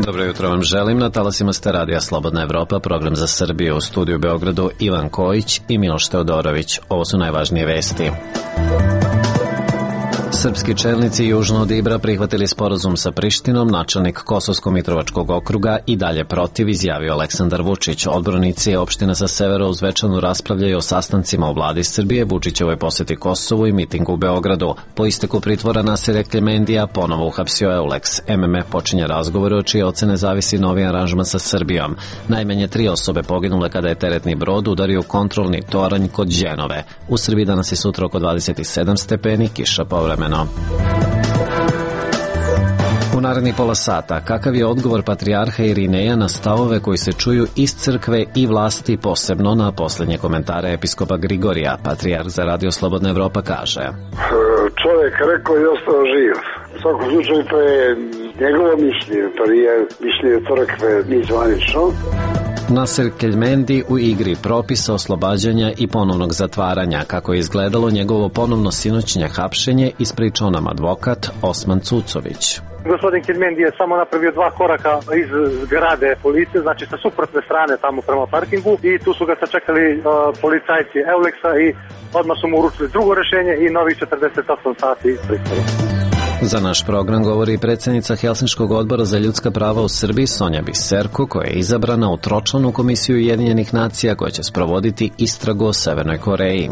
Dobro jutro vam želim. Na talasima ste radija Slobodna Evropa, program za Srbiju. U studiju u Beogradu Ivan Kojić i Miloš Teodorović. Ovo su najvažnije vesti. Srpski čelnici južno od Ibra prihvatili sporazum sa Prištinom, načelnik Kosovsko-Mitrovačkog okruga i dalje protiv, izjavio Aleksandar Vučić. Odbornici opština sa severa uz Zvečanu raspravljaju o sastancima u vladi Srbije, Vučićevoj poseti Kosovu i mitingu u Beogradu. Po isteku pritvora Nasira Keljmendija ponovo uhapsio Eulex. MMF počinje razgovore od čije ocene zavisi novi aranžman sa Srbijom. Najmanje 3 osobe poginule kada je teretni brod udario kontrolni toranj kod Đenove. U Srbiji danas i sutra oko 27 stepeni, kiša povremeno. U narednih pola sata, kakav je odgovor patrijarha Irineja na stavove koji se čuju iz crkve i vlasti, posebno na posljednje komentare episkopa Grigorija? Patrijarh za Radio Slobodna Evropa kaže: Čovjek rekao i ostao živ. U svakom slučaju to je njegovo mišljenje, to nije mišljenje crkve ni zvanično. Nasir Keljmendi u igri propisa oslobađanja i ponovnog zatvaranja. Kako je izgledalo njegovo ponovno sinoćnje hapšenje, ispričao nam advokat Osman Cucović. Gospodin Keljmendi je samo napravio 2 koraka iz zgrade policije, znači sa suprotne strane tamo prema parkingu, i tu su ga sačekali policajci Eulexa i odmah su mu uručili drugo rešenje i novih 48 sati pritvora. Za naš program govori predsjednica Helsinškog odbora za ljudska prava u Srbiji Sonja Biserko, koja je izabrana u tročlanu komisiju Ujedinjenih nacija koja će sprovoditi istragu o Severnoj Koreji.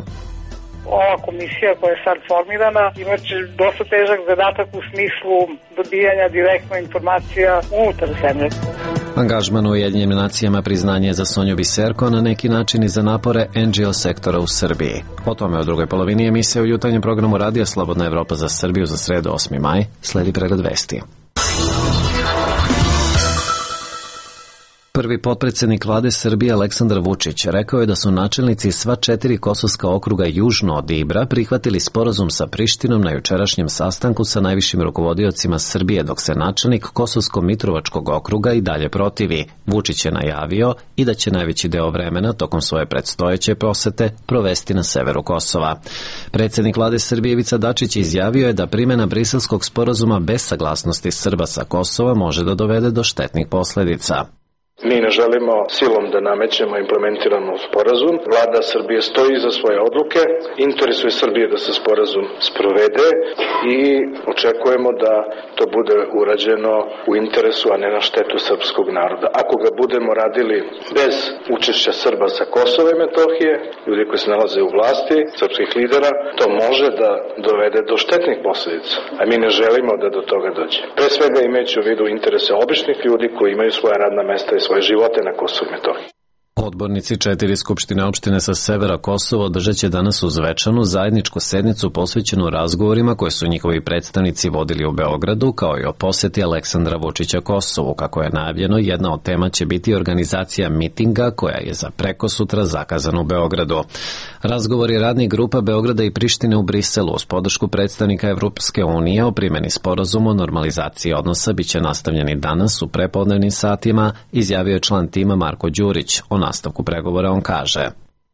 Ova komisija koja je sad formirana imaće dosta težak zadatak u smislu dobijanja direktno informacija unutar zemlje. Angažman u Ujedinjenim nacijama priznanje za Sonju Biserko, na neki način i za napore NGO sektora u Srbiji. O tome u drugoj polovini emisije u jutarnjem programu Radija Slobodna Evropa za Srbiju za sredu 8. maj. Sledi pregled vesti. Prvi potpredsjednik vlade Srbije Aleksandar Vučić rekao je da su načelnici sva 4 kosovska okruga južno od Ibra prihvatili sporazum sa Prištinom na jučerašnjem sastanku sa najvišim rukovodiocima Srbije, dok se načelnik Kosovsko-Mitrovačkog okruga i dalje protivi. Vučić je najavio i da će najveći deo vremena tokom svoje predstojeće posete provesti na severu Kosova. Predsjednik vlade Srbije Ivica Dačić izjavio je da primjena Briselskog sporazuma bez saglasnosti Srba sa Kosova može da dovede do štetnih posljedica. Mi ne želimo silom da namećemo implementiramo sporazum. Vlada Srbije stoji iza svoje odluke, interesuje Srbije da se sporazum sprovede i očekujemo da to bude urađeno u interesu, a ne na štetu srpskog naroda. Ako ga budemo radili bez učešća Srba sa Kosova i Metohije, ljudi koji se nalaze u vlasti, srpskih lidera, to može da dovede do štetnih posljedica, a mi ne želimo da do toga dođe. Pre svega imajući u vidu interese običnih ljudi koji imaju svoja radna mesta i svoje živote na Kosovu i Metohiji. Odbornici 4 skupštine opštine sa severa Kosova održat će danas u Zvečanu zajedničku sednicu posvećenu razgovorima koje su njihovi predstavnici vodili u Beogradu, kao i o poseti Aleksandra Vučića Kosovu. Kako je najavljeno, jedna od tema će biti organizacija mitinga koja je za prekosutra zakazana u Beogradu. Razgovori radnih grupa Beograda i Prištine u Briselu uz podršku predstavnika Evropske unije o primjeni sporazuma o normalizaciji odnosa biće nastavljeni danas u prepodnevnim satima, izjavio je član tima Marko Đurić. O nastavku pregovora on kaže: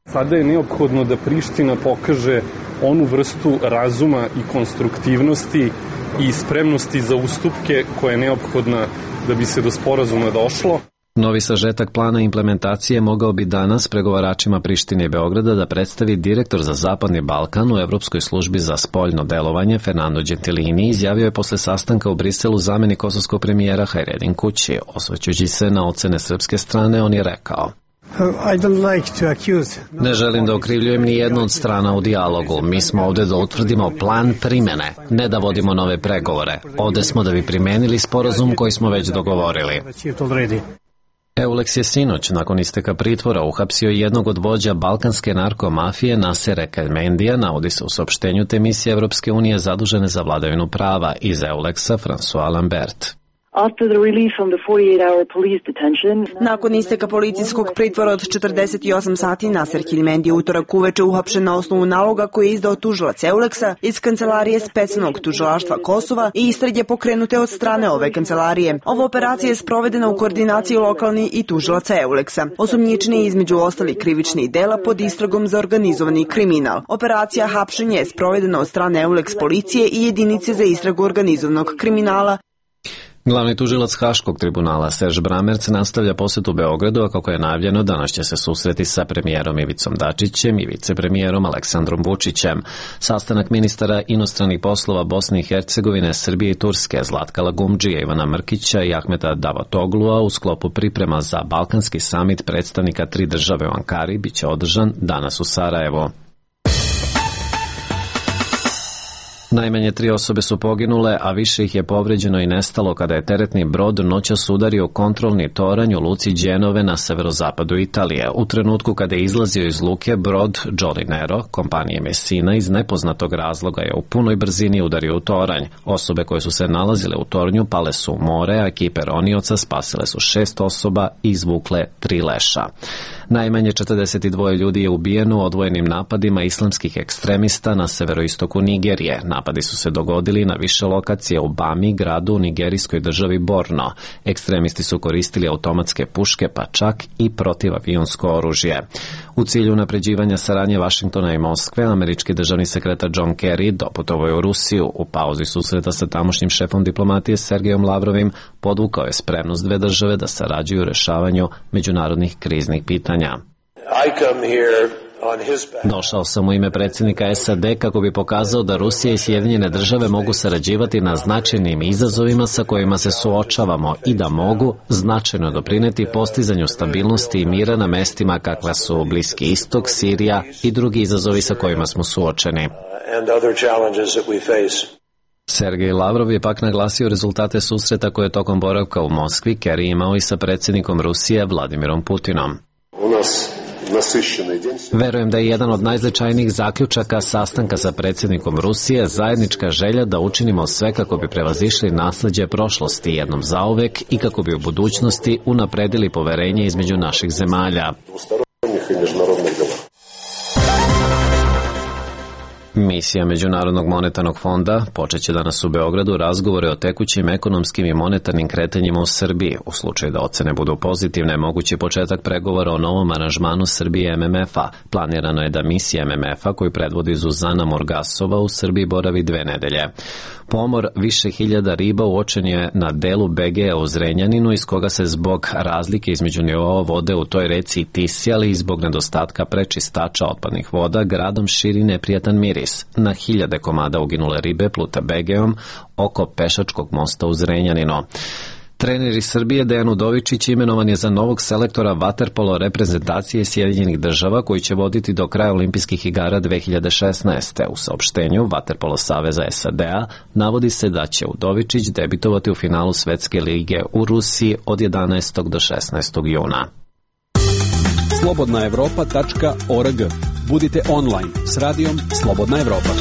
Sada je neophodno da Priština pokaže onu vrstu razuma i konstruktivnosti i spremnosti za ustupke koja je neophodna da bi se do sporazuma došlo. Novi sažetak plana implementacije mogao bi danas pregovaračima Prištine i Beograda da predstavi direktor za Zapadni Balkan u Evropskoj službi za spoljno delovanje Fernando Gentilini, izjavio je posle sastanka u Briselu zamenik kosovskog premijera Hajredin Kući. Osvrćući se na ocene srpske strane, on je rekao: Ne želim da okrivljujem ni jednu od strana u dijalogu. Mi smo ovde da utvrdimo plan primene, ne da vodimo nove pregovore. Ovde smo da bi primenili sporazum koji smo već dogovorili. Eulex je sinoć, nakon isteka pritvora, uhapsio jednog od vođa balkanske narkomafije Nasira Keljmendija, navodi se u saopštenju te misije Evropske unije zadužene za vladavinu prava. Iz Eulexa François Lambert. Nakon isteka policijskog pritvora od 48 sati, Nasir Keljmendi utorak uveče uhapšen na osnovu naloga koji je izdao tužilac Eulexa iz kancelarije specijalnog tužilaštva Kosova i istrage pokrenute od strane ove kancelarije. Ova operacija je sprovedena u koordinaciji lokalni i tužilaca Eulexa. Osumnjičeni između ostalih krivičnih dela pod istragom za organizovani kriminal. Operacija hapšenja je sprovedena od strane Eulex policije i jedinice za istragu organizovanog kriminala. Glavni tužilac Haškog tribunala Serž Bramerc nastavlja posetu Beogradu, a kako je najavljeno, danas će se susreti sa premijerom Ivicom Dačićem i vicepremijerom Aleksandrom Vučićem. Sastanak ministara inostranih poslova Bosne i Hercegovine, Srbije i Turske, Zlatka Lagumdžija, Ivana Mrkića i Ahmeta Davotoglua u sklopu priprema za Balkanski samit predstavnika 3 države u Ankari biće održan danas u Sarajevu. Najmanje 3 osobe su poginule, a više ih je povređeno i nestalo kada je teretni brod noćas udario kontrolni toranj u luci Đenove na severozapadu Italije. U trenutku kada je izlazio iz luke, brod Jolly Nero, kompanije Messina, iz nepoznatog razloga je u punoj brzini udario u toranj. Osobe koje su se nalazile u tornju pale su u more, a ekipe ronioca spasile su 6 osoba i izvukle 3 leša. Najmanje 42 ljudi je ubijeno u odvojenim napadima islamskih ekstremista na severoistoku Nigerije. Napadi su se dogodili na više lokacije u Bami, gradu u nigerijskoj državi Borno. Ekstremisti su koristili automatske puške, pa čak i protivavionsko oružje. U cilju unapređivanja saradnje Vašingtona i Moskve, američki državni sekretar John Kerry doputovao je u Rusiju. U pauzi susreta sa tamošnjim šefom diplomatije Sergejom Lavrovim podvukao je spremnost 2 države da sarađuju u rešavanju međunarodnih kriznih pitanja. Došao sam u ime predsjednika SAD kako bi pokazao da Rusija i Sjedinjene države mogu sarađivati na značajnim izazovima sa kojima se suočavamo i da mogu značajno doprineti postizanju stabilnosti i mira na mestima kakva su Bliski istok, Sirija i drugi izazovi sa kojima smo suočeni. Sergej Lavrov je pak naglasio rezultate susreta koje je tokom boravka u Moskvi Kerry imao i sa predsjednikom Rusije Vladimirom Putinom. Verujem da je jedan od najznačajnijih zaključaka sastanka sa predsjednikom Rusije zajednička želja da učinimo sve kako bi prevazišli nasleđe prošlosti jednom zauvek i kako bi u budućnosti unapredili poverenje između naših zemalja. Misija Međunarodnog monetarnog fonda počeće danas u Beogradu razgovore o tekućim ekonomskim i monetarnim kretanjima u Srbiji. U slučaju da ocene budu pozitivne, mogući početak pregovora o novom aranžmanu Srbije i MMF-a. Planirano je da misija MMF-a, koju predvodi Zuzana Morgasova, u Srbiji boravi 2 nedelje. Pomor više hiljada riba uočen je na delu Begea u Zrenjaninu, iz koga se zbog razlike između nivoa vode u toj reci Tisi, ali i zbog nedostatka prečistača otpadnih voda, gradom širi neprijatan miris. Na hiljade komada uginule ribe plute Begeom oko pešačkog mosta u Zrenjaninu. Trener iz Srbije Dejan Udovičić imenovan je za novog selektora vaterpolo reprezentacije Sjedinjenih država, koji će voditi do kraja olimpijskih igara 2016. U saopštenju Vaterpolo saveza SAD-a navodi se da će Udovičić debitovati u finalu Svetske lige u Rusiji od 11. do 16. juna. slobodnaevropa.org. Budite online s radijom Slobodna Evropa.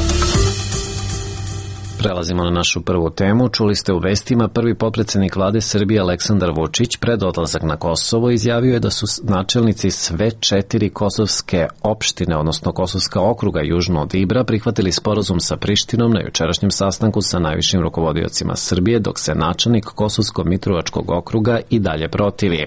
Prelazimo na našu prvu temu. Čuli ste u vestima, prvi potpredsjednik vlade Srbije Aleksandar Vučić pred odlazak na Kosovo izjavio je da su načelnici sve 4 kosovske opštine, odnosno Kosovska okruga južno od Ibra, prihvatili sporazum sa Prištinom na jučerašnjem sastanku sa najvišim rukovodiocima Srbije, dok se načelnik Kosovsko-Mitrovačkog okruga i dalje protivi.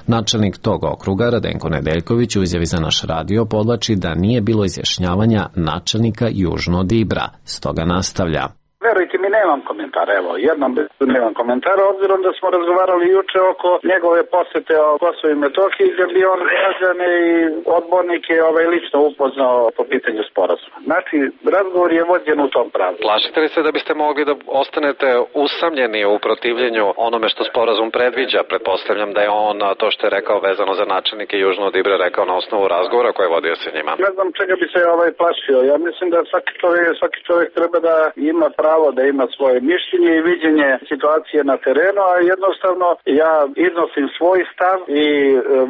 Načelnik tog okruga, Radenko Nedeljković, u izjavi za naš radio podvlači da nije bilo izjašnjavanja načelnika južno od Ibra, stoga nastavlja. Verujte mi, nemam komentara, evo, jednom nemam komentara, obzirom da smo razgovarali juče oko njegove posete o Kosovu i Metohiji, gdje bi on građane i odbornike lično upoznao po pitanju sporazuma. Znači, razgovor je vođen u tom pravu. Plašite li se da biste mogli da ostanete usamljeni u protivljenju onome što sporazum predviđa? Pretpostavljam da je on to što je rekao vezano za načelnike južno od Ibra rekao na osnovu razgovora koje je vodio sa njima. Ne znam čega bi se plašio. Ja mislim da svaki čovjek treba da ima pravo da ima svoje mišljenje i viđenje situacije na terenu, a jednostavno ja iznosim svoj stav i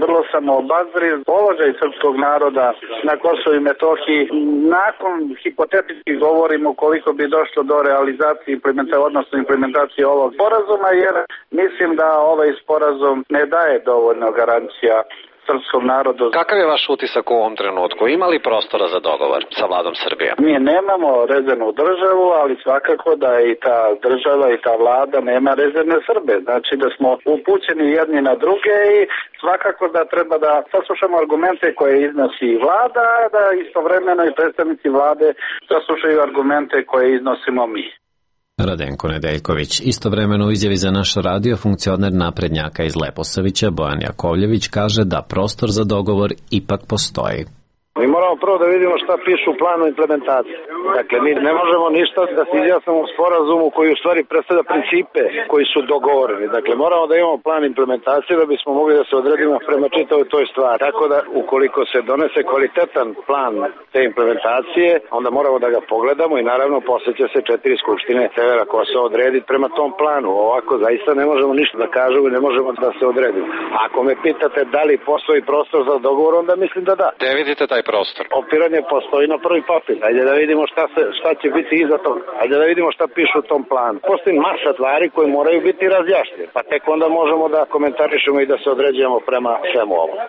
vrlo sam obazriv položaj srpskog naroda na Kosovu i Metohiji. Nakon hipotetički govorimo koliko bi došlo do realizacije implementacije ovog sporazuma, jer mislim da ovaj sporazum ne daje dovoljno garancija srpskom narodu. Kakav je vaš utisak u ovom trenutku? Ima li prostora za dogovor sa vladom Srbije? Mi nemamo rezervnu državu, ali svakako da i ta država i ta vlada nema rezervne Srbe. Znači da smo upućeni jedni na druge i svakako da treba da saslušamo argumente koje iznosi vlada, da istovremeno i predstavnici vlade saslušaju argumente koje iznosimo mi. Radenko Nedeljković. Istovremeno u izjavi za naš radio funkcioner naprednjaka iz Leposavića Bojan Jakovljević kaže da prostor za dogovor ipak postoji. Mi moramo prvo da vidimo šta piše u planu implementacije. Dakle, mi ne možemo ništa da se izjasnimo u sporazumu koji u stvari predstavlja principe koji su dogovoreni. Dakle, moramo da imamo plan implementacije da bismo mogli da se odredimo prema čitavoj toj stvari. Tako da, ukoliko se donese kvalitetan plan te implementacije, onda moramo da ga pogledamo i naravno posle će se 4 skupštine Severa Kosova odrediti prema tom planu. Ovako, zaista ne možemo ništa da kažemo i ne možemo da se odredimo. Ako me pitate da li postoji prostor za dogovor, onda mislim da da. Gde vidite taj prostor? Opiranje postoji na prvi papir. Ajde da vidimo šta će biti iza toga. Ajde da vidimo šta piše u tom planu. Postoji masa stvari koje moraju biti razjašnjene. Pa tek onda možemo da komentarišemo i da se određujemo prema svemu ovom.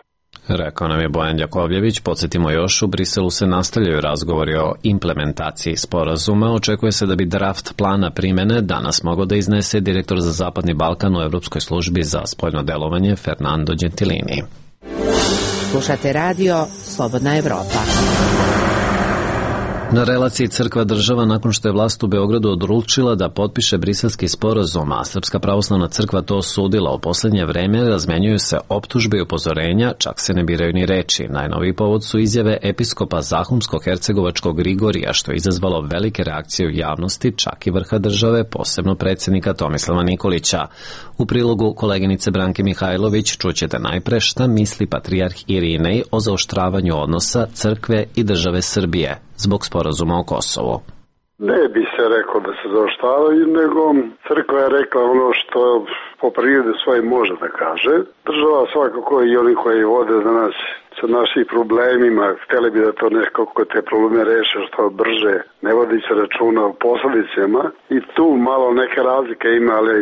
Rekao nam je Bojan Jakovljević. Podsjetimo još, u Briselu se nastavljaju razgovori o implementaciji sporazuma. Očekuje se da bi draft plana primene danas mogao da iznese direktor za Zapadni Balkan u Evropskoj službi za spoljno delovanje Fernando Gentilini. Slušate radio Slobodna Evropa. Na relaciji crkva-država, nakon što je vlast u Beogradu odlučila da potpiše briselski sporazum, a Srpska pravoslavna crkva to osudila, u poslednje vreme razmenjuju se optužbe i upozorenja, čak se ne biraju ni reči. Najnoviji povod su izjave episkopa Zahumsko-hercegovačkog Grigorija, što je izazvalo velike reakcije u javnosti, čak i vrha države, posebno predsjednika Tomislava Nikolića. U prilogu koleginice Branke Mihajlović čućete najpre šta misli patrijarh Irinej o zaoštravanju odnosa crkve i države Srbije zbog sporazuma o Kosovu. Ne bi se rekao da se zaoštravaju, nego crkva je rekla ono što po prirodi svoje može da kaže. Država svakako i oni koji vode danas sa našim problemima, htjeli bi da to nekako te probleme reše što brže, ne vodi se računa o posledicama i tu malo neke razlike ima, ali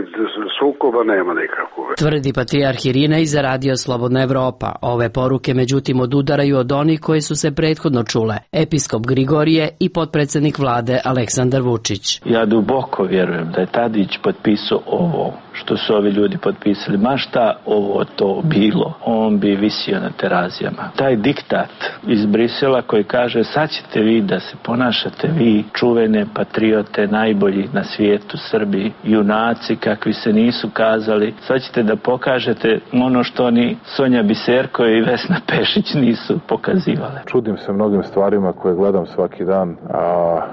sukoba nema nikakve. Tvrdi patrijarh Irinej za radio Slobodna Evropa. Ove poruke međutim odudaraju od onih koje su se prethodno čule. Episkop Grigorije i potpredsednik vlade Aleksandar Vučić. Ja duboko vjerujem da je Tadić potpisao ovo što su ovi ljudi potpisali. Ma šta ovo to bilo, on bi visio na terazijama. Taj diktat iz Brisela koji kaže sad ćete vi da se ponašate vi, čuvene patriote, najbolji na svijetu, Srbi, junaci kakvi se nisu kazali, sad ćete da pokažete ono što ni Sonja Biserko i Vesna Pešić nisu pokazivale. Čudim se mnogim stvarima koje gledam svaki dan, a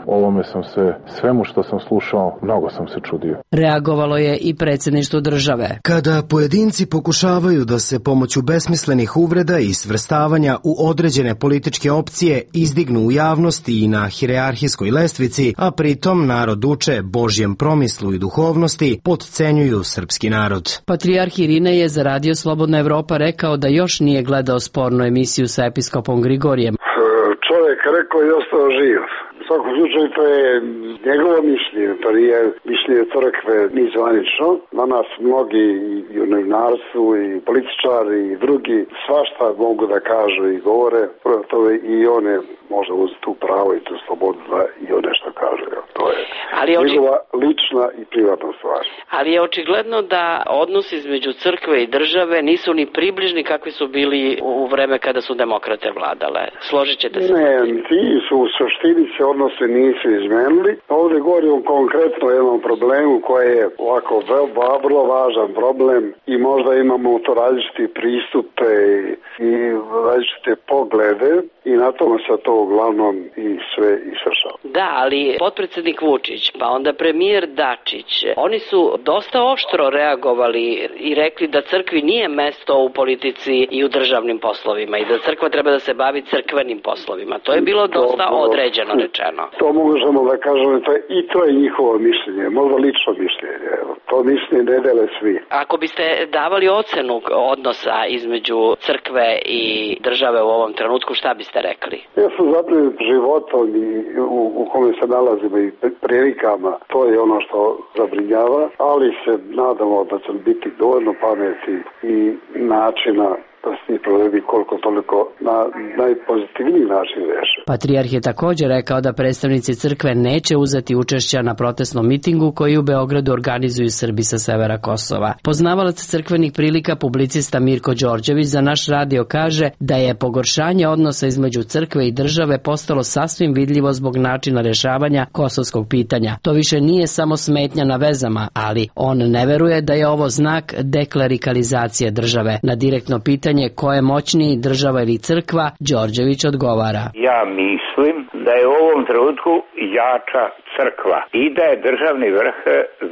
ovome sam se, svemu što sam slušao, mnogo sam se čudio. Reagovalo je i predsjedništvo države. Kada pojedinci pokušavaju da se pomoću besmislenih uvreda i svrstavanja u određene političke opcije izdignu u javnosti i na hijerarhijskoj lestvici, a pritom narod uče Božjem promislu i duhovnosti, potcenjuju srpski narod. Patrijarh Irinej je za radio Slobodna Evropa rekao da još nije gledao spornu emisiju sa episkopom Grigorijem. Čovjek rekao i ostao živ. U svakom slučaju to je njegovo mišljenje, to nije mišljenje crkve ni zvanično. Na nas mnogi i u novinarstvu i političari i drugi svašta mogu da kažu i govore, to i one može uzeti tu pravo i tu slobodu da i one što kaže. To je njegova lična i privatna stvar. Ali je očigledno da odnos između crkve i države nisu ni približni kakvi su bili u vreme kada su demokrate vladale. Složit ćete se? Ne, ti su u suštini se odnose nisu izmenili. Ovdje govorimo konkretno o jednom problemu koji je ovako vrlo važan problem i možda imamo to različiti pristupe i različite poglede i na tome se to uglavnom i sve isvršava. Da, ali potpredsjednik Vučić, pa onda premijer Dačić, oni su dosta oštro reagovali i rekli da crkvi nije mesto u politici i u državnim poslovima i da crkva treba da se bavi crkvenim poslovima. To je bilo dosta određeno rečeno. To možemo da kažemo, i to je njihovo mišljenje, možda lično mišljenje. To mišljenje ne dele svi. Ako biste davali ocenu odnosa između crkve i države u ovom trenutku, šta biste rekli? Ja sam zabrinut životom i u kome se nalazimo i prilikama. To je ono što zabrinjava, ali se nadamo da će biti dovoljno pameti i načina da se ti problemi koliko toliko na najpozitivniji način reše. Patrijarh je također rekao da predstavnici crkve neće uzeti učešća na protestnom mitingu koji u Beogradu organizuju Srbi sa severa Kosova. Poznavalac crkvenih prilika, publicista Mirko Đorđević za naš radio kaže da je pogoršanje odnosa između crkve i države postalo sasvim vidljivo zbog načina rešavanja kosovskog pitanja. To više nije samo smetnja na vezama, ali on ne veruje da je ovo znak deklerikalizacije države. Na direktno pitanje ko je moćniji, država ili crkva, Đorđević odgovara: Ja mislim da je u ovom trenutku jača crkva i da je državni vrh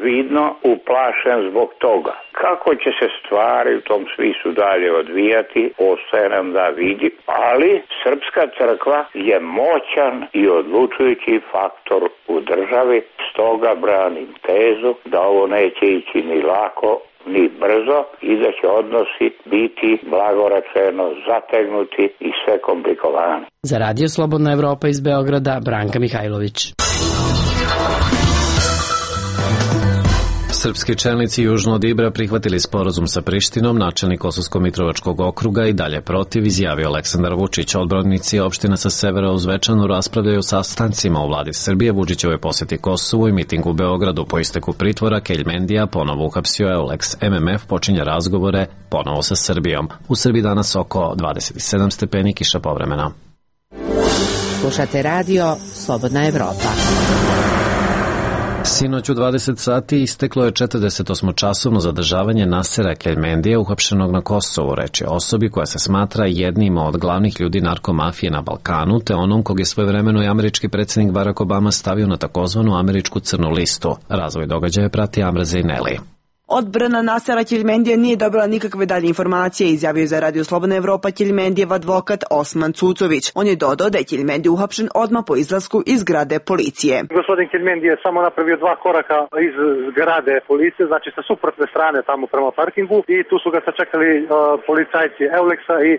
vidno uplašen zbog toga. Kako će se stvari u tom smislu dalje odvijati, ostaje nam da vidi, ali srpska crkva je moćan i odlučujući faktor u državi, stoga branim tezu da ovo neće ići ni lako ni brzo i da će odnosi biti blagoračeno zategnuti i sve komplikovani. Za Radio Slobodna Evropa iz Beograda, Branka Mihajlović. Srpski čelnici južno od Ibra prihvatili sporazum sa Prištinom, načelnik Kosovsko-Mitrovačkog okruga i dalje protiv, izjavio Aleksandar Vučić. Odbornici opština sa severa uz Zvečanu raspravljaju o sastancima u vladi Srbije, Vučićeve posjeti Kosovu i mitingu u Beogradu. Po isteku pritvora Keljmendija ponovo uhapsio Eulex. MMF počinje razgovore ponovo sa Srbijom. U Srbiji danas oko 27 stepeni, kiša povremena. Slušate radio Slobodna Evropa. Sinoć u 20 sati isteklo je 48-časovno zadržavanje Nasera Keljmendija, uhapšenog na Kosovu. Reč je o osobi koja se smatra jednim od glavnih ljudi narkomafije na Balkanu, te onom kog je svojevremeno i američki predsjednik Barack Obama stavio na takozvanu američku crnu listu. Razvoj događaja prati Amra Zejneli. Odbrana Nasera Keljmendija nije dobila nikakve dalje informacije, izjavio za Radio Slobodna Evropa Keljmendijev advokat Osman Cucović. On je dodao da je Keljmendija uhapšen odmah po izlasku iz zgrade policije. Gospodin Keljmendija je samo napravio 2 koraka iz zgrade policije, znači sa suprotne strane tamo prema parkingu, i tu su ga sačekali policajci Eulexa i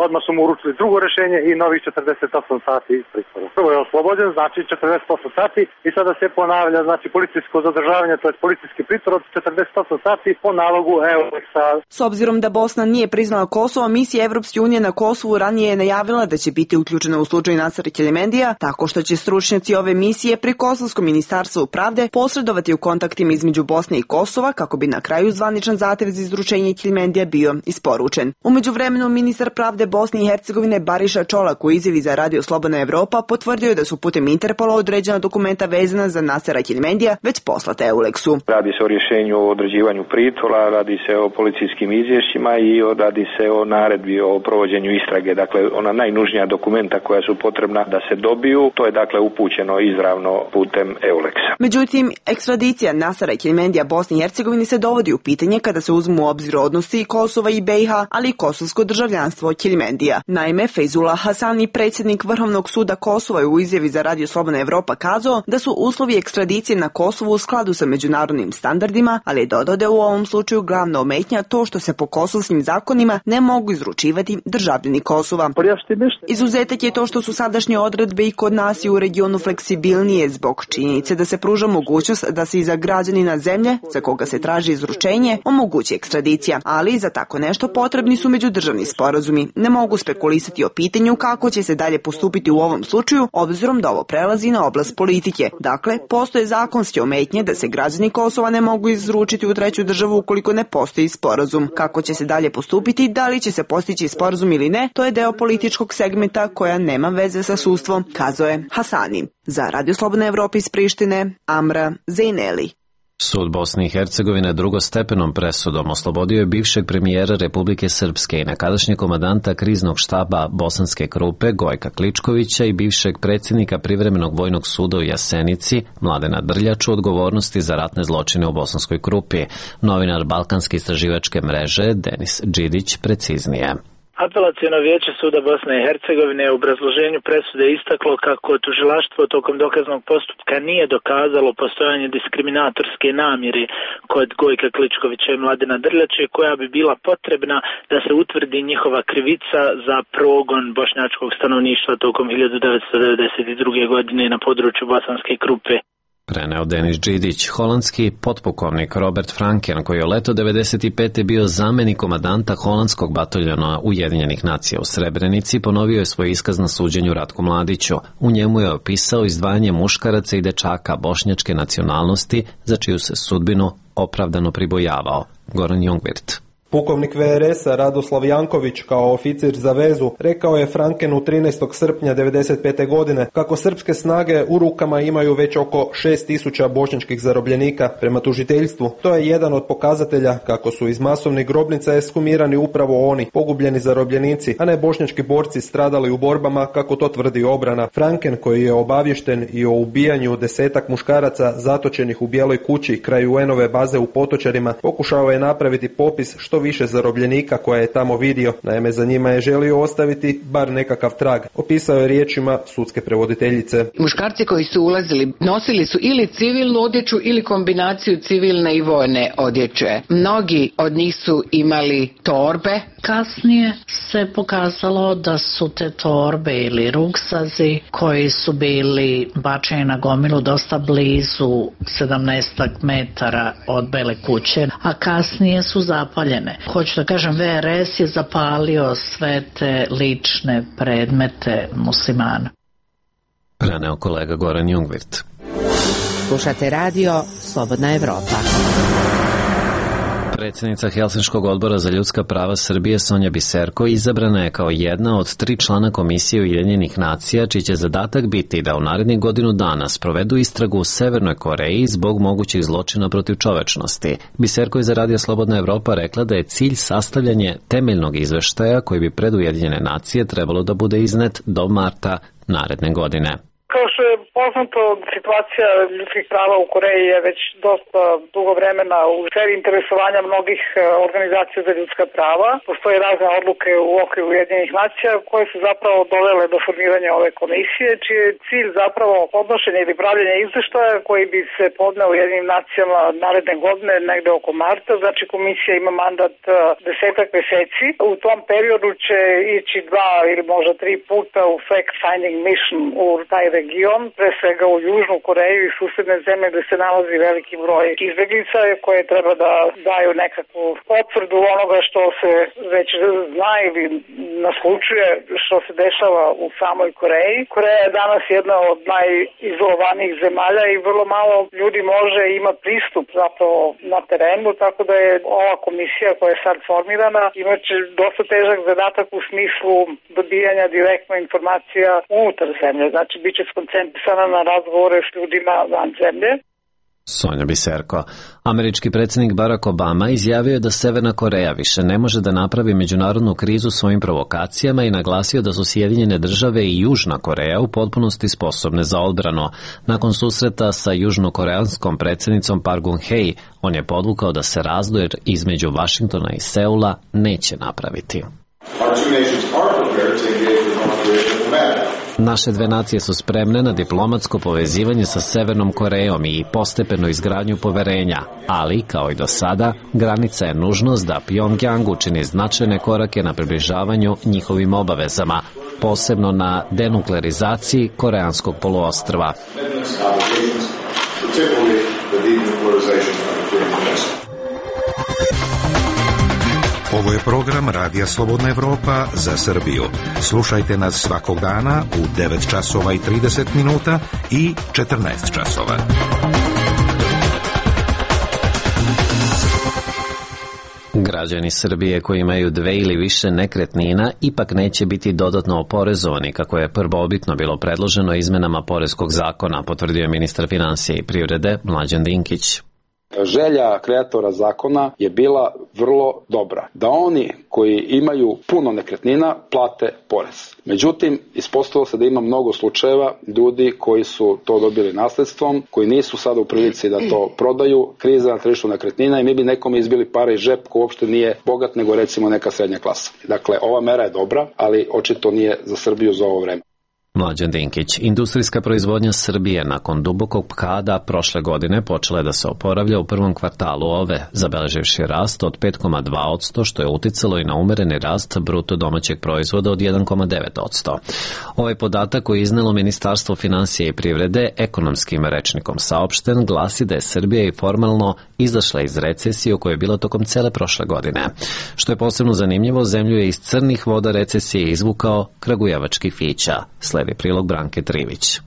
odmah su mu uručili drugo rešenje i novih 48 sati pritvora. Prvo je oslobođen, znači 48 sati i sada se ponavlja, znači policijsko zadržavanje, to je policijski pritvor od 48 sati po nalogu Eulexa. S obzirom da Bosna nije priznala Kosovo, misija Evropske unije na Kosovu ranije je najavila da će biti uključena u slučaju Nasera Keljmendija, tako što će stručnjaci ove misije pri Kosovskom ministarstvu pravde posredovati u kontaktima između Bosne i Kosova kako bi na kraju zvaničan zahtev za izručenje Keljmendija bio isporučen. U međuvremenu ministar pravde Bosne i Hercegovine Bariša Čolak u izjavi za Radio Slobodna Evropa potvrdio je da su putem Interpola određena dokumenta vezana za Nasera Keljmendija već poslata Eulexu. Radi se o rješenju o određivanju pritvora, radi se o policijskim izvješćima i radi se o naredbi o provođenju istrage. Dakle, ona najnužnija dokumenta koja su potrebna da se dobiju, to je dakle upućeno izravno putem Eulexa. Međutim, ekstradicija Nasera Keljmendija Bosni i Hercegovini se dovodi u pitanje kada se uzmu u obzir odnosi Kosova i BiH, ali i kosovsko državljanstvo Keljmendija. Naime, Fejzullah Hasani, predsjednik Vrhovnog suda Kosova, je u izjavi za Radio Slobodna Evropa kazao da su uslovi ekstradicije na Kosovu u skladu sa međunarodnim standardima, ali je dodao da je u ovom slučaju glavna ometnja to što se po kosovskim zakonima ne mogu izručivati državljani Kosova. Izuzetak je to što su sadašnje odredbe i kod nas i u regionu fleksibilnije zbog činjenice da se pruža mogućnost da se i za građanina zemlje za koga se traži izručenje omogući ekstradicija, ali za tako nešto potrebni su međudržavni sporazumi. Ne mogu spekulisati o pitanju kako će se dalje postupiti u ovom slučaju, obzirom da ovo prelazi na oblast politike. Dakle, postoje zakonske ometnje da se građani Kosova ne mogu izručiti u treću državu ukoliko ne postoji sporazum. Kako će se dalje postupiti, da li će se postići sporazum ili ne, to je deo političkog segmenta koja nema veze sa sudstvom, kazao je Hasani. Za Radio Slobodna Evropa iz Prištine, Amra Zejneli. Sud Bosne i Hercegovine drugostepenom presudom oslobodio je bivšeg premijera Republike Srpske i nekadašnjeg komandanta kriznog štaba Bosanske Krupe Gojka Kličkovića i bivšeg predsjednika Privremenog vojnog suda u Jasenici Mladena Drljaču odgovornosti za ratne zločine u Bosanskoj Krupi. Novinar Balkanske istraživačke mreže Denis Đidić preciznije. Apelaciono vijeće suda Bosne i Hercegovine u obrazloženju presude istaklo kako tužilaštvo tokom dokaznog postupka nije dokazalo postojanje diskriminatorske namjere kod Gojka Kličkovića i Mladena Drljače koja bi bila potrebna da se utvrdi njihova krivica za progon bošnjačkog stanovništva tokom 1992. godine na području Bosanske Krupe. Preneo Denis Đidić. Holandski potpukovnik Robert Franken, koji je leto 1995. bio zamenik komandanta holandskog bataljona Ujedinjenih nacija u Srebrenici, ponovio je svoj iskaz na suđenju Ratku Mladiću. U njemu je opisao izdvajanje muškaraca i dečaka bošnjačke nacionalnosti, za čiju se sudbinu opravdano pribojavao. Goran Jungwirth. Pukovnik VRS-a Radoslav Janković kao oficir za vezu rekao je Frankenu 13. srpnja 1995. godine kako srpske snage u rukama imaju već oko 6000 bošnjačkih zarobljenika. Prema tužiteljstvu, to je jedan od pokazatelja kako su iz masovnih grobnica ekshumirani upravo oni, pogubljeni zarobljenici, a ne bošnjački borci stradali u borbama kako to tvrdi obrana. Franken, koji je obavješten i o ubijanju 10 muškaraca zatočenih u Bijeloj kući kraj UN-ove baze u Potočarima, pokušao je napraviti popis što više zarobljenika koje je tamo vidio. Naime, za njima je želio ostaviti bar nekakav trag. Opisao je riječima sudske prevoditeljice. Muškarci koji su ulazili nosili su ili civilnu odjeću ili kombinaciju civilne i vojne odjeće. Mnogi od njih su imali torbe. Kasnije se pokazalo da su te torbe ili ruksazi koji su bili bačeni na gomilu dosta blizu 17 metara od Bele kuće, a kasnije su zapaljene. Hoću da kažem, VRS je zapalio sve te lične predmete muslimana. Preneo kolega Goran Jungwirth. Slušate radio Slobodna Evropa. Predsjednica Helsinškog odbora za ljudska prava Srbije Sonja Biserko izabrana je kao jedna od 3 člana Komisije Ujedinjenih nacija, čiji će zadatak biti da u narednih godinu dana sprovedu istragu u Severnoj Koreji zbog mogućih zločina protiv čovečnosti. Biserko je za radio Slobodna Evropa rekla da je cilj sastavljanje temeljnog izveštaja koji bi pred Ujedinjene nacije trebalo da bude iznet do marta naredne godine. Kao što je poznato, situacija ljudskih prava u Koreji je već dosta dugo vremena u sferi interesovanja mnogih organizacija za ljudska prava. Postoje razne odluke u okviru Ujedinjenih nacija koje su zapravo dovele do formiranja ove komisije, čiji je cilj zapravo podnošenje ili pravljenje izveštaja koji bi se podneo Ujedinjenim nacijama naredne godine, negde oko marta. Znači, komisija ima mandat 10 meseci. U tom periodu će ići 2 ili možda 3 puta u fact-finding mission u taj region, pre svega u Južnu Koreju i susedne zemlje gde se nalazi veliki broj izbeglica koje treba da daju nekakvu potvrdu onoga što se već zna ili naslučuje što se dešava u samoj Koreji. Koreja je danas jedna od najizolovanijih zemalja i vrlo malo ljudi može ima pristup zapravo na terenu, tako da je ova komisija koja je sad formirana imaće dosta težak zadatak u smislu dobijanja direktno informacija unutar zemlje. Znači, bit će skoncentrisana na razgovore s ljudima van zemlje. Sonja Biserko. Američki predsjednik Barack Obama izjavio je da Severna Koreja više ne može da napravi međunarodnu krizu svojim provokacijama i naglasio da su Sjedinjene države i Južna Koreja u potpunosti sposobne za odbranu. Nakon susreta sa južnokoreanskom predsjednicom Park Geun-hye, on je podvukao da se razdor između Vašingtona i Seula neće napraviti. Naše dve nacije su spremne na diplomatsko povezivanje sa Severnom Korejom i postepenu izgradnju poverenja, ali, kao i do sada, granica je nužnost da Pjongjang učini značajne korake na približavanju njihovim obavezama, posebno na denuklearizaciji Koreanskog poluostrva. Ovo je program Radija Slobodna Evropa za Srbiju. Slušajte nas svakog dana u 9 časova i 30 minuta i 14 časova. Građani Srbije koji imaju 2 ili više nekretnina ipak neće biti dodatno oporezovani, kako je prvobitno bilo predloženo izmenama poreskog zakona, potvrdio je ministar finansija i privrede Mlađan Dinkić. Želja kreatora zakona je bila vrlo dobra, da oni koji imaju puno nekretnina plate porez. Međutim, ispostavilo se da ima mnogo slučajeva ljudi koji su to dobili nasledstvom, koji nisu sada u prilici da to prodaju, kriza na tržištu nekretnina i mi bi nekome izbili pare iz džep ko uopšte nije bogat, nego recimo neka srednja klasa. Dakle, ova mera je dobra, ali očito nije za Srbiju za ovo vreme. Mlađan Dinkić. Industrijska proizvodnja Srbije nakon dubokog pada prošle godine počela je da se oporavlja u prvom kvartalu ove, zabeleživši rast od 5,2%, što je uticalo i na umereni rast bruto domaćeg proizvoda od 1,9%. Ovaj podatak koji je iznelo Ministarstvo finansija i privrede ekonomskim rečnikom saopšten glasi da je Srbija i formalno izašla iz recesije u kojoj je bila tokom cele prošle godine. Što je posebno zanimljivo, zemlju je iz crnih voda recesije izvukao kragujevački Fića. Sledi prilog Branke Trivić.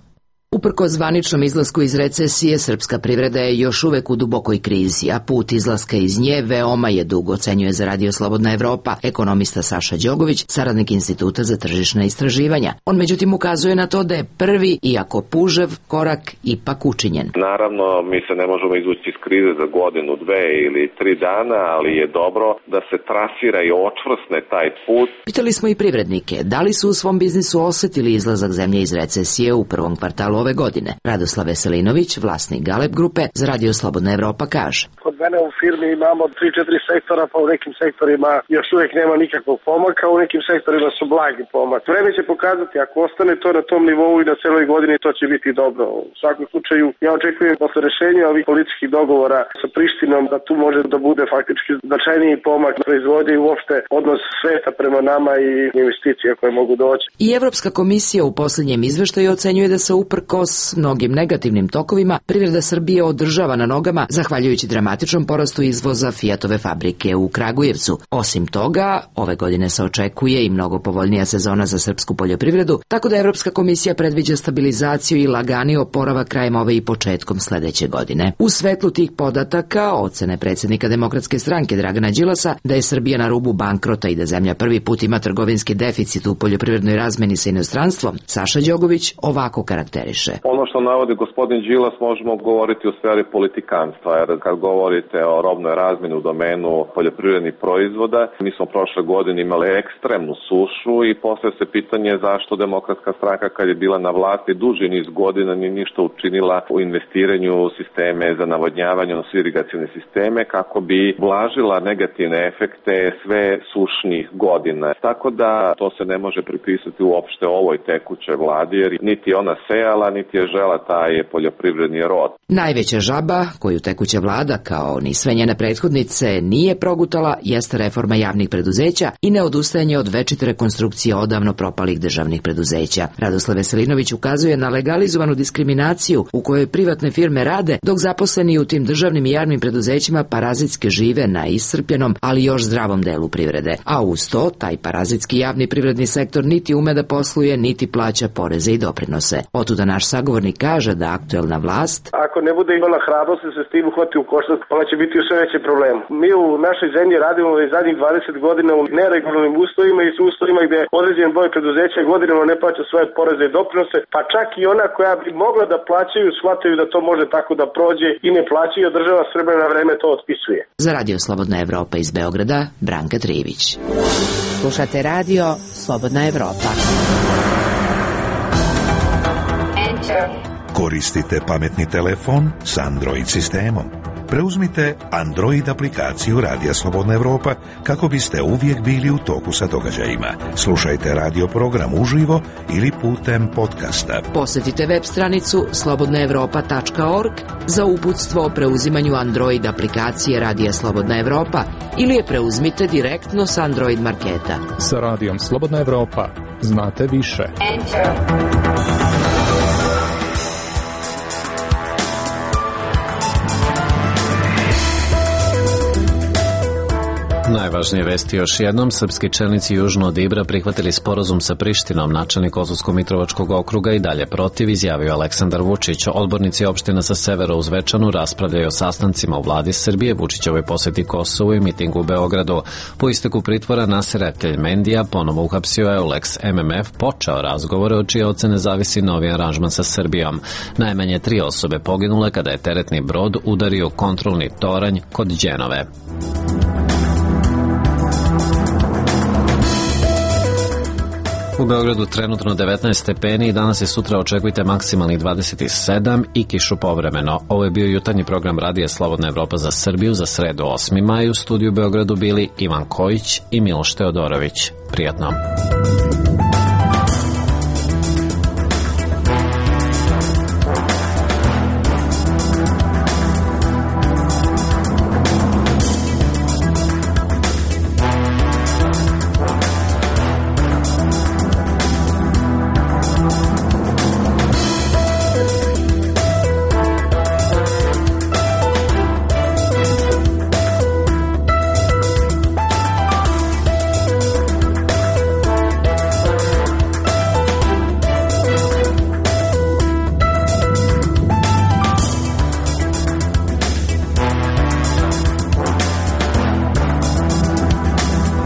Uprkos zvaničnom izlasku iz recesije, srpska privreda je još uvek u dubokoj krizi, a put izlaska iz nje veoma je dug, ocenjuje za Radio Slobodna Evropa ekonomista Saša Đogović, saradnik Instituta za tržišna istraživanja. On međutim ukazuje na to da je prvi, iako pužev, korak ipak učinjen. Naravno, mi se ne možemo izvući iz krize za godinu, 2 ili 3 dana, ali je dobro da se trasira i očvrsne taj put. Pitali smo i privrednike, da li su u svom biznisu osetili izlazak zemlje iz recesije u prvom kvartalu ove godine. Radoslav Veselinović, vlasnik Galeb grupe, za Radio Slobodna Evropa kaže. Kod mene u firmi imamo 3-4 sektora, pa u nekim sektorima još uvijek nema nikakvog pomaka, u nekim sektorima su blagi pomak. Vreme će pokazati, ako ostane to na tom nivou i na celoj godini, to će biti dobro. U svakom slučaju, ja očekujem posle rešenja ovih političkih dogovora sa Prištinom da tu može da bude faktički značajniji pomak proizvodnje i uopšte odnos sveta prema nama i investicije koje mogu doći. I Evropska komisija u posljednjem izveštaju ocenjuje da se uprkos mnogim negativnim tokovima privreda Srbije održava na nogama zahvaljujući dramatičnom porastu izvoza Fiatove fabrike u Kragujevcu. Osim toga, ove godine se očekuje i mnogo povoljnija sezona za srpsku poljoprivredu, tako da Evropska komisija predviđa stabilizaciju i lagani oporavak krajem ove i početkom sledeće godine. U svetlu tih podataka, ocene predsjednika Demokratske stranke Dragana Đilasa da je Srbija na rubu bankrota i da zemlja prvi put ima trgovinski deficit u poljoprivrednoj razmeni sa inostranstvom, Saša Đogović ovako karakteriše. Ono što navodi gospodin Đilas možemo govoriti u sferi politikanstva, jer kad govorite o robnoj razmeni u domenu poljoprivrednih proizvoda, mi smo prošle godine imali ekstremnu sušu i postavlja se pitanje zašto Demokratska stranka kad je bila na vlasti duži niz godina nije ništa učinila u investiranju u sisteme za navodnjavanje, odnosno irigacione sisteme, kako bi blažila negativne efekte sve sušnih godina. Tako da to se ne može pripisati uopšte ovoj tekućoj vladi, jer niti ona sejala, niti je žela taj poljoprivredni rod. Najveća žaba koju tekuća vlada, kao ni sve njene prethodnice, nije progutala jeste reforma javnih preduzeća i neodustajanje od večite rekonstrukcije odavno propalih državnih preduzeća. Radoslav Veselinović ukazuje na legalizovanu diskriminaciju u kojoj privatne firme rade, dok zaposleni u tim državnim i javnim preduzećima parazitski žive na iscrpljenom, ali još zdravom delu privrede. A uz to, taj parazitski javni privredni sektor niti ume da posluje, niti plaća poreze i doprinose. Otuda naš sagovornik kaže da aktuelna vlast, ako ne bude imala hrabrosti se s tim uhvati u koštac, ona će biti u sve veće problemu. Mi u našoj zemlji radimo već zadnjih 20 godina u neregularnim uslovima i su uslovima gde određen broj preduzeća godinama ne plaća svoje poreze i doprinose, pa čak i ona koja bi mogla da plaćaju, shvataju da to može tako da prođe i ne plaćaju, a država Srbija na vreme to otpisuje. Za Radio Slobodna Evropa iz Beograda, Branka Trivić. Slušate Radio Slobodna Evropa. Koristite pametni telefon s Android sistemom. Preuzmite Android aplikaciju Radija Slobodna Evropa kako biste uvijek bili u toku sa događajima. Slušajte radio program uživo ili putem podcasta. Posjetite web stranicu slobodnaevropa.org za uputstvo o preuzimanju Android aplikacije Radija Slobodna Evropa ili je preuzmite direktno s Android marketa. Sa Radijom Slobodna Evropa znate više. Najvažnije vesti još jednom, srpski čelnici južno od Ibra prihvatili sporazum sa Prištinom, načelnik Kosovsko-Mitrovačkog okruga i dalje protiv, izjavio Aleksandar Vučić. Odbornici opština sa severa u Zvečanu raspravljaju o sastancima u vladi Srbije, Vučićevoj poseti Kosovu i mitingu u Beogradu. Po isteku pritvora Nasera Keljmendija ponovo uhapsio Eulex. MMF počeo razgovore od čije ocene zavisi novi aranžman sa Srbijom. Najmanje 3 osobe poginule kada je teretni brod udario kontrolni toranj kod Đenove. U Beogradu trenutno 19 stepeni i danas i sutra očekujte maksimalnih 27 i kišu povremeno. Ovo je bio jutarnji program Radija Slobodna Evropa za Srbiju za sredu 8. maj. U studiju u Beogradu bili Ivan Kojić i Miloš Teodorović. Prijatno.